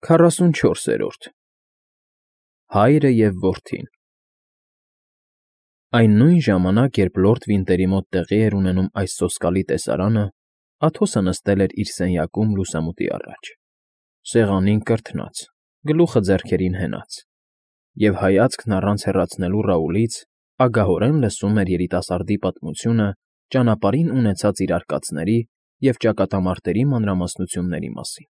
44-րդ Հայրը և որդին Այն նույն ժամանակ, երբ լորդ Վինտերի մոտ տեղի էր ունենում այս սոսկալի տեսարանը, Աթոսը նստել էր իր սենյակում լուսամուտի առաջ, սեղանին կրթնած, գլուխը ձեռքերին հենած, և հայացքն առանց հեռացնելու Ռաուլից ագահորեն լսում էր երիտասարդի պատմությունը ճանապարհին ունեցած իր արկածների և ճակատամարտերի մանրամասնությունների մասին։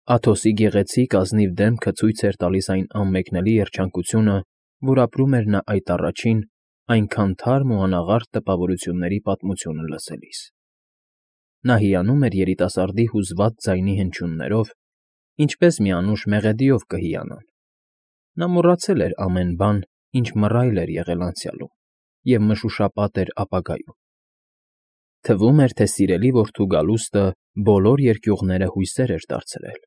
Աթոսի գեղեցիկ ազնիվ դեմքը ցույց էր տալիս այն անմեկնելի երջանկությունը, որ ապրում էր նա այդ առաջին, այնքան թարմ ու անաղարտ տպավորությունների պատմությունը լսելիս։ Նա հիանում էր երիտասարդի հուզված ձայնի հնչյուններով, ինչպես մի անուշ մեղեդիով կհիանան։ Նա մոռացել էր ամեն բան, ինչ մռայլ էր եղել անցյալում և մշուշապատ էր ապագայում։ Թվում էր, թե սիրելի որդու գալուստը բոլոր երկյուղները հույսեր էր դարձրել։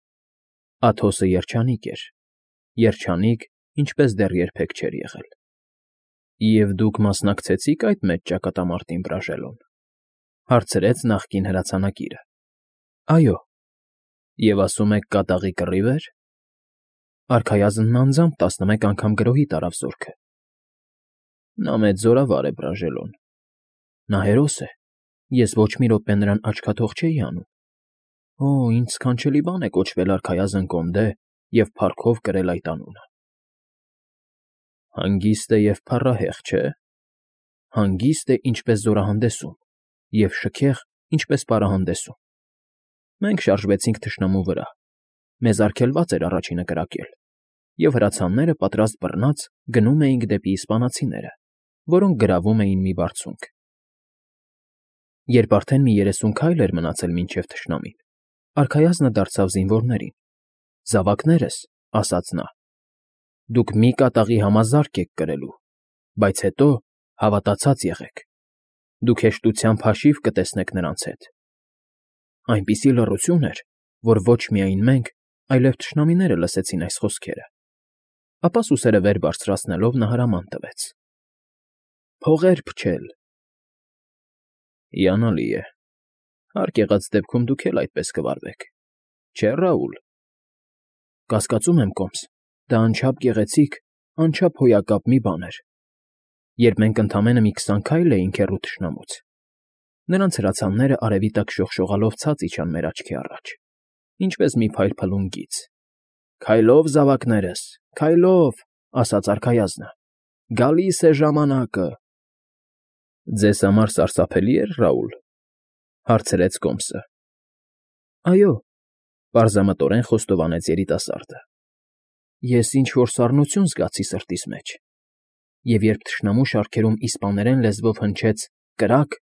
Աթոսը երջանիկ, ինչպես դեռ երբեք չէր եղել։ Եվ դուք մասնակցեցի՞ք այդ մեծ ճակատամարտին, Բրաժելոն,֊ հարցրեց նախկին հրացանակիրը։ Այո։ Եվ ասում եք կատաղի կռիվ էր։ Արքայազնն անձամբ 11 անգամ գրոհի տարավ զորքը։ Նա մեծ զորավար է, Բրաժելոն։ Նա հերոս է։ Ես ոչ մի րոպե նրան աչքաթող չէի անում։ Օ, ինչ սքանչելի բան է կոչվել արքայազն կոնդե և փառքով կրել այդ անունը։ Հանգիստ է և փառահեղ, չէ՞։ Հանգիստ է, ինչպես զորահանդեսում, և շքեղ, ինչպես պարահանդեսում։ Մենք շարժվեցինք թշնամու վրա։ Մեզ արգելված էր առաջինը կրակել, և հրացանները պատրաստ բռնած գնում էինք դեպի իսպանացիները, որոնք գրավում էին մի բարձունք։ Երբ արդեն մի 30 քայլ էր մնացել մինչև թշնամին, արքայազնը դարձավ զինվորներին. «Զավակներս,֊ ասաց նա,֊ դուք մի կատաղի համազարկ եք կրելու, բայց հետո հավատացած եղեք. դուք հեշտությամբ հաշիվ կտեսնեք նրանց հետ»։ Այնպիսի լռություն էր, որ ոչ միայն մենք, այլև թշնամիները լսեցին այս խոսքերը։ Ապա սուսերը վեր բարձրացնելով նա հրաման տվեց. «Փողեր փչել»։ Հիանալի է։ Հարկ եղած դեպքում դուք էլ այդպես կվարվեք, չէ՞, Ռաուլ։ Կասկածում եմ, կոմս, դա անչափ գեղեցիկ, անչափ հոյակապ մի բան էր։ Երբ մենք ընդամենը մի 20 քայլ էինք հեռու թշնամուց, նրանց հրացանները արևի տակ շողշողալով ցած իջան մեր աչքի առաջ, ինչպես մի փայլփլուն գիծ։ «Քայլո՛վ, զավակներս, քայլո՛վ,֊ ասաց արքայազնը,֊ գալիս է ժամանակը»։ Ձեզ համար սարսափելի՞ էր, Ռաուլ,֊ հարցրեց կոմսը։ Այո,֊ պարզամտորեն խոստովանեց երիտասարդը։ Ես ինչ֊որ սառնություն զգացի սրտիս մեջ, և երբ թշնամու շարքերում իսպաներեն լեզվով հնչեց «կրակ»,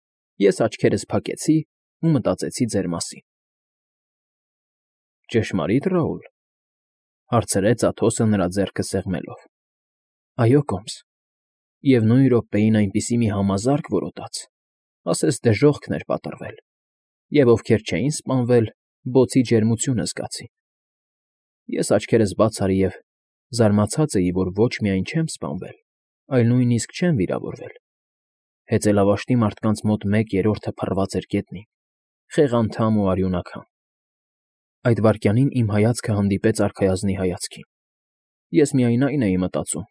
ես աչքերս փակեցի ու մտածեցի ձեր մասին։ Ճշմարի՞տ, Ռաուլ,֊ հարցրեց Աթոսը նրա ձեռքը սեղմելով։ Այո, կոմս, և նույն րոպեին այնպիսի մի համազարկ որոտաց, ասես դժոխքն էր պատռվել, և ովքեր չէին սպանվել, բոցի ջերմությունը զգացին։ Ես աչքերս բաց արի և զարմացած էի, որ ոչ միայն չեմ սպանվել, այլ նույնիսկ չեմ վիրավորվել։ Հեծելավաշտի մարդկանց մոտ 1/3-ը փռված էր գետնին, խեղանդամ ու արյունաքամ։ Այդ վայրկյանին իմ հայացքը հանդիպեց արքայազնի հայացքին։ Ես միայն այն էի մտածում,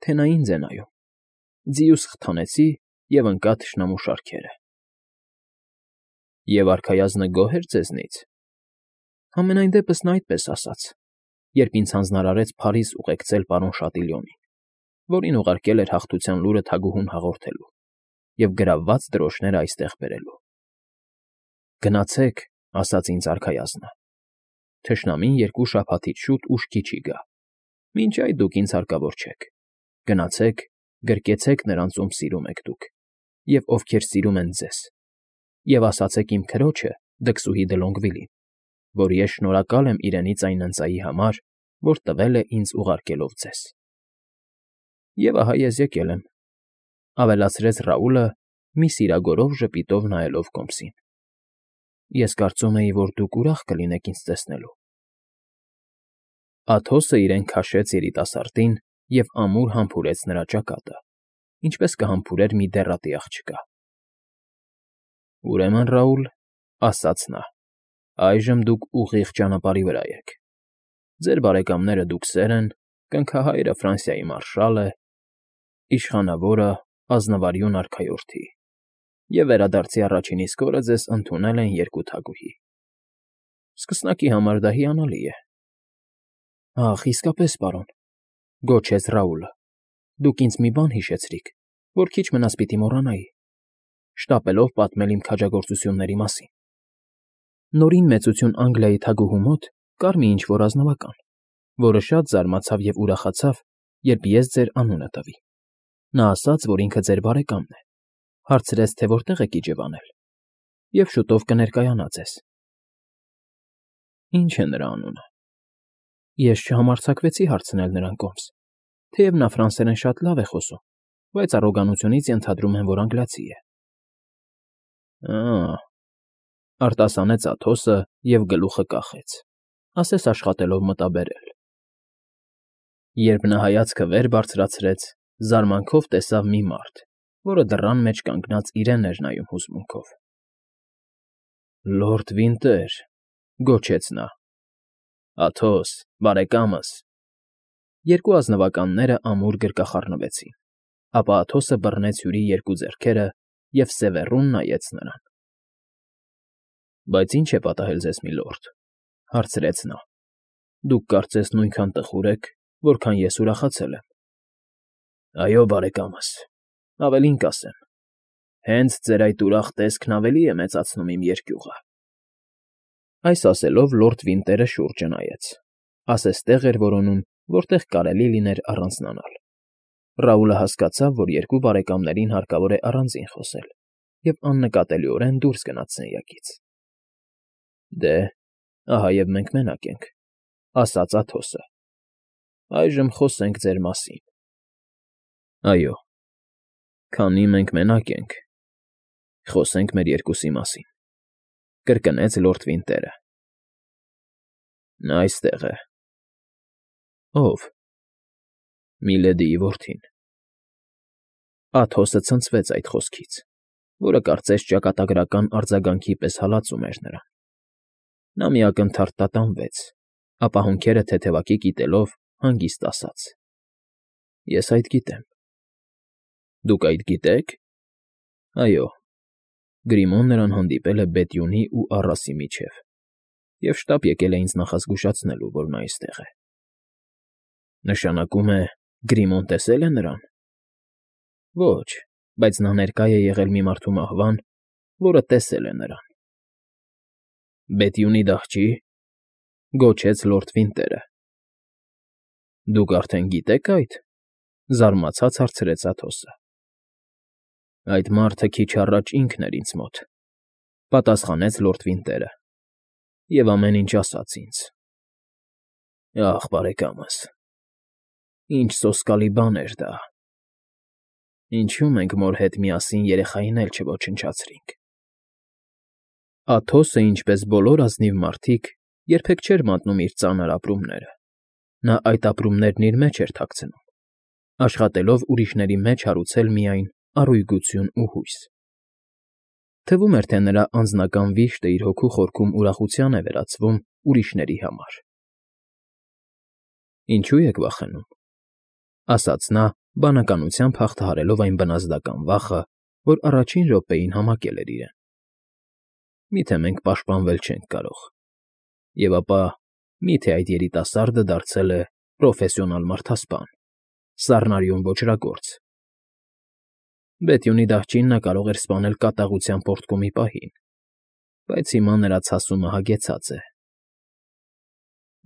թե նա ինձ է նայում։ Ձիուս խթանեցի և ընկա թշնամու շարքերը։ Եվ արքայազնը գոհ էր ձեզնից։ Համենայն դեպս նա այդպես ասաց, երբ ինձ հանձնարարեց Փարիզ ուղեկցել պարոն Շատիլյոնին, որին ուղարկել էր հաղթության լուրը թագուհուն հաղորդելու և գրավված դրոշները այստեղ բերելու։ Գնացեք,֊ ասաց ինձ արքայազնը։ Թշնամին 2 շաբաթից շուտ ուշքի չի գա։ Մինչ այդ դուք ինձ հարկավոր չեք։ Գնացեք, գրկեցեք նրանց, ում սիրում եք դուք, և ովքեր սիրում են ձեզ, և ասացեք իմ քրոջը՝ դքսուհի դը Լոնգվիլին, որ ես շնորհակալ եմ իրենից այն ընծայի համար, որ տվել է ինձ ուղարկելով ձեզ։ Եվ ահա ես եկել եմ,֊ ավելացրեց Ռաուլը, մի սիրագորով ժպիտով նայելով կոմսին։ Ես կարծում էի, որ դուք ուրախ կլինեք ինձ տեսնելու։ Աթոսը իրեն քաշեց երիտասարդին և ամուր համբուրեց նրա ճակատը, ինչպես կհամբուրեր մի դեռատի աղջկա։ Ուրեմն, Ռաուլ,֊ ասաց նա,֊ այժմ դուք ուղիղ ճանապարհի վրա եք։ Ձեր բարեկամները դուքսեր են, կնքահայրը Ֆրանսիայի մարշալ է, իշխանավորը ազնվարյուն արքայորդի, և վերադարձի առաջին իսկ օրը ձեզ ընդունել են երկու թագուհի։ Սկսնակի համար դա հիանալի է։ ֊ Ախ, իսկապես, պարոն,֊ գոչեց Ռաուլը,֊ դուք ինձ մի բան հիշեցրիք, որ քիչ մնաց պիտի մոռանայի, շտապելով պատմել իմ քաջագործությունների մասին։ Նորին Մեծություն Անգլիայի թագուհու մոտ կար մի ինչ֊որ ազնվական, որը շատ զարմացավ և ուրախացավ, երբ ես ձեր անունը տվի։ Նա ասաց, որ ինքը ձեր բարեկամն է, հարցրեց, թե որտեղ եք իջևանել, և շուտով կներկայանա ձեզ։ Ինչ է նրա անունը։ Ես չհամարձակվեցի հարցնել նրան կողմս, թեև նա ֆրանսերեն շատ լավ է խոսում, բայց առոգանությունից ենթադրում եմ, որ անգլիացի է։ Ա՜, արտասանեց Աթոսը և գլուխը կախեց, ասես աշխատելով մտաբերել։ Երբ նա հայացքը վեր բարձրացրեց, զարմանքով տեսավ մի մարդ, որը դռան մեջ կանգնած իրեն էր նայում հուզմունքով։ Լորդ Վինտեր,֊ գոչեց նա,֊ Աթոս, բարեկամս… Երկու ազնվականները ամուր գրկախառնվեցին, ապա Աթոսը բռնեց հյուրի երկու ձեռքերը և սևեռուն նայեց նրան։ Բայց ի՞նչ է պատահել ձեզ, միլորդ,֊ հարցրեց նա։ Դուք կարծես նույնքան տխուր եք, որքան ես ուրախացել եմ։ Այո, բարեկամս, ավելին կասեմ, հենց ձեր այդ ուրախ տեսքն ավելի է մեծացնում իմ երկյուղը։ Այս ասելով լորդ Վինտերը շուրջը նայեց, ասես տեղ էր որոնում, որտեղ կարելի լիներ առանձնանալ։ Ռաուլը հասկացավ, որ երկու բարեկամներին հարկավոր է առանձին խոսել, և աննկատելիորեն դուրս գնաց սենյակից։ Դե, ահա և մենք մենակ ենք,֊ ասաց Աթոսը։ Այժմ խոսենք ձեր մասին։ Այո, քանի մենք մենակ ենք, խոսենք մեր երկուսի մասին,֊ կրկնեց լորդ Վինտերը։ Նա այստեղ է։ Ո՞վ։ Միլեդիի որդին։ Աթոսը ցնցվեց այդ խոսքից, որը կարծես ճակատագրական արձագանքի պես հալածում էր նրան։ Նա մի ակնթարթ տատանվեց, ապա հոնքերը թեթևակի կիտելով հանգիստ ասաց. Ես այդ գիտեմ։ Դուք այդ գիտեք։ Այո, Գրիմոն նրան հանդիպել է Բետյունի ու առասի միջև, և շտապ եկել է ինձ նախազգուշացնելու, որ նա այստեղ է։ Նշանակում է, Գրիմոն տեսել է նրան։ Ոչ, բայց նա ներկա է եղել մի մարդու մահվան, որը տեսել է նրան։ Բետյունի դահչի՞, գոչեց լորդ Վինտերը։ Դուք արդեն գիտեք այդ,֊ զարմացած հարցրեց Աթոսը։ Այդ մարդը քիչ առաջ ինքն էր ինձ մոտ,֊ պատասխանեց լորդ Վինտերը,֊ և ամեն ինչ ասաց ինձ։ Ախ, բարեկամս, ինչ սոսկալի բան էր դա։ Ինչու մենք մոր հետ միասին երեխային էլ չոչնչացրինք։ Աթոսը, ինչպես բոլոր ազնիվ մարդիկ, երբեք չէր մատնում իր ծանր ապրումները։ Նա այդ ապրումներն իր մեջ էր թաքցնում, աշխատելով ուրիշների մեջ հարուցել միայն առույգություն ու հույս։ Թվում էր, թե նրա անձնական վիշտը իր հոգու խորքում ուրախության է վերածվում ուրիշների համար։ Ինչու եք վախենում,֊ ասաց նա, բանականությամբ հաղթահարելով այն բնազդական վախը, որ առաջին րոպեին համակել էր իրեն։ Միթե մենք պաշտպանվել չենք կարող։ Եվ ապա, միթե այդ երիտասարդը դարձել է պրոֆեսիոնալ մարդասպան, սառնարյուն ոճրագործ։ Բետյունի դահչին նա կարող էր սպանել կատաղության պոռթկումի պահին, բայց հիմա նրա ցասումը հագեցած է։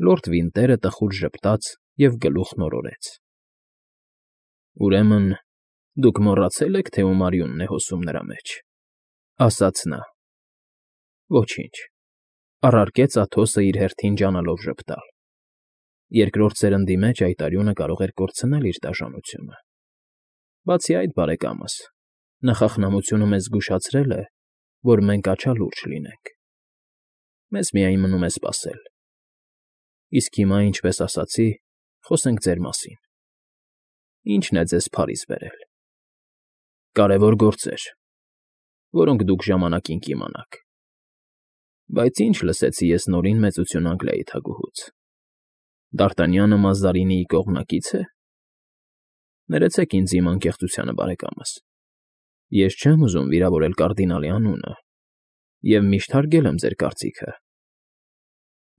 Լորդ Վինտերը տխուր ժպտաց և գլուխն օրորեց։ Ուրեմն դուք մոռացել եք, թե ում արյունն է հոսում նրա մեջ,֊ ասաց նա։ Ոչինչ,֊ առարկեց Աթոսը իր հերթին ջանալով ժպտալ։ Երկրորդ սերնդի մեջ այդ արյունը կարող էր կորցնել իր դաժանությունը։ Բացի այդ, բարեկամս, նախախնամությունը մեզ զգուշացրել է, որ մենք աչալուրջ լինենք։ Մեզ միայն մնում է սպասել։ Իսկ հիմա, ինչպես ասացի, խոսենք ձեր մասին։ Ի՞նչն է ձեզ Փարիզ բերել։ Կարևոր գործեր, որոնք դուք ժամանակին կիմանաք։ Բայց ինչ լսեցի ես նորին Մեծություն Անգլիայի թագուհուց։ Դարտանյանը Մազարինիի կողմնակի՞ց է։ Ներեցեք ինձ իմ անկեղծությանը, բարեկամս։ Ես չեմ ուզում վիրավորել կարդինալի անունը և միշտ հարգել եմ ձեր կարծիքը։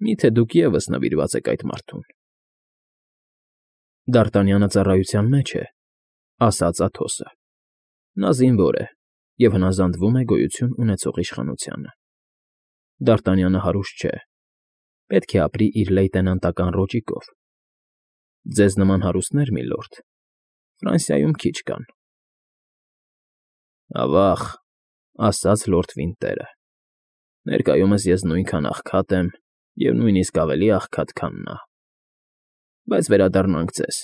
Մի՞թե դուք ևս նվիրված եք այդ մարդուն։ Դարտանյանը ծառայության մեջ է, ասաց Աթոսը։ Նա զինվոր է և հնազանդվում է գոյություն ունեցող իշխանությանը։ Դարտանյանը հարուստ չէ, պետք է ապրի իր լեյտենանտական ռոճիկով։ Ձեզ նման հարուստներ, միլորդ, Ֆրանսիայում քիչ կան։ Ավա՜ղ, ասաց լորդ Վինտերը, ներկայումս ես նույնքան աղքատ եմ և նույնիսկ ավելի աղքատ, քան նա։ Բայց վերադառնանք ձեզ։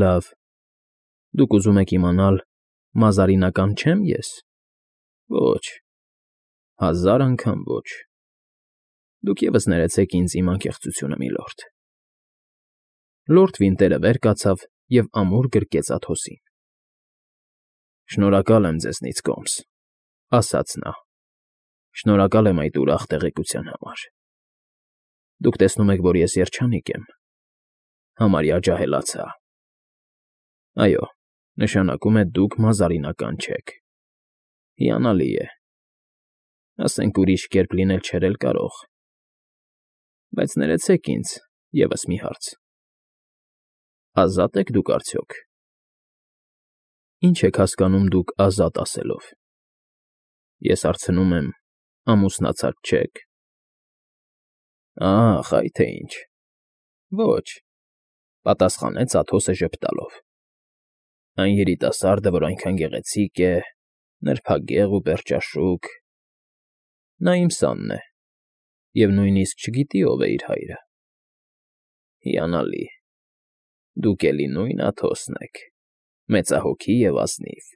Լավ, դուք ուզում եք իմանալ՝ մազարինական չե՞մ ես։ Ոչ, 1000 անգամ ոչ։ Դուք ևս ներեցեք ինձ իմ անկեղծությունը, միլորդ։ Լորդ Վինտերը վեր կացավ և ամուր գրկեց Աթոսին։ Շնորհակալ եմ ձեզնից, Կոմս, ասաց նա։ Շնորհակալ եմ այդ ուրախ տեղեկության համար։ Դուք տեսնում եք, որ ես երջանիկ եմ, համարյա ջահելացա։ Այո, նշանակում է դուք մազարինական չեք։ Հիանալի է։ Ասենք ուրիշ կերպ լինել չէր էլ կարող։ Բայց ներեցեք ինձ ևս մի հարց. ազատ եք դուք արդյոք։ Ինչ եք հասկանում դուք ազատ ասելով։ Ես հարցնում եմ, ամուսնացած չեք։ Ահ, այ թե ինչ։ Ոչ, պատասխանեց Աթոսը ժպտալով։ Այն երիտասարդը, որ այնքան գեղեցիկ է, նրբագեղ ու պերճաշուք, նա իմ սանն է, և նույնիսկ չգիտի ով է իր հայրը։ Հիանալի, դուք էլի նույն Աթոսն եք, մեծահոգի և ազնիվ։